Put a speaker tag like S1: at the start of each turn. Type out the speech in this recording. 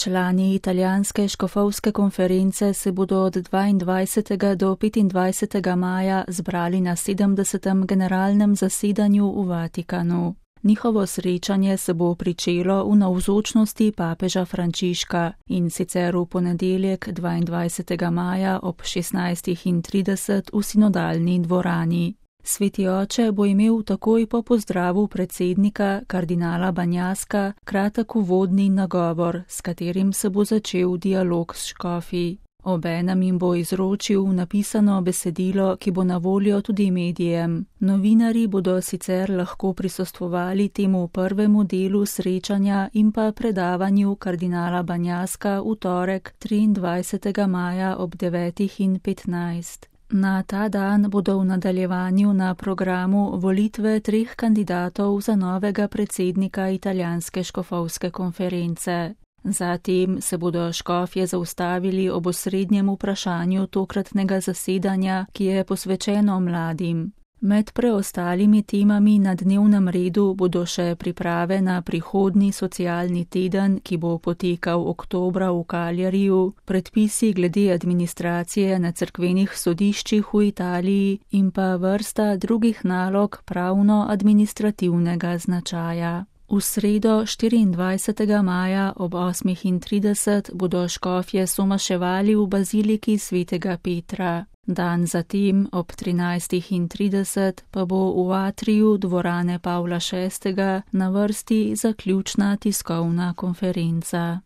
S1: Člani italijanske škofovske konference se bodo od 22. do 25. maja zbrali na 70. generalnem zasedanju v Vatikanu. Njihovo srečanje se bo pričelo v navzočnosti papeža Frančiška in sicer v ponedeljek 22. maja ob 16:30 v sinodalni dvorani. Sveti oče bo imel takoj po pozdravu predsednika kardinala Banjaska kratek uvodni nagovor, s katerim se bo začel dialog s škofi. Obenem jim bo izročil napisano besedilo, ki bo na voljo tudi medijem. Novinarji bodo sicer lahko prisostvovali temu prvemu delu srečanja in pa predavanju kardinala Banjaska v torek 23. maja ob 9:15. Na ta dan bodo v nadaljevanju na programu volitve 3 kandidatov za novega predsednika italijanske škofovske konference. Zatem se bodo škofje zaustavili ob osrednjem vprašanju tokratnega zasedanja, ki je posvečeno mladim. Med preostalimi temami na dnevnem redu bodo še priprave na prihodnji socialni teden, ki bo potekal oktobra v Cagliariju, predpisi glede administracije na cerkvenih sodiščih v Italiji in pa vrsta drugih nalog pravno-administrativnega značaja. V sredo 24. maja ob 8:30 bodo škofje somaševali v baziliki svetega Petra. Dan zatem ob 13:30 pa bo v atriju dvorane Pavla VI. Na vrsti zaključna tiskovna konferenca.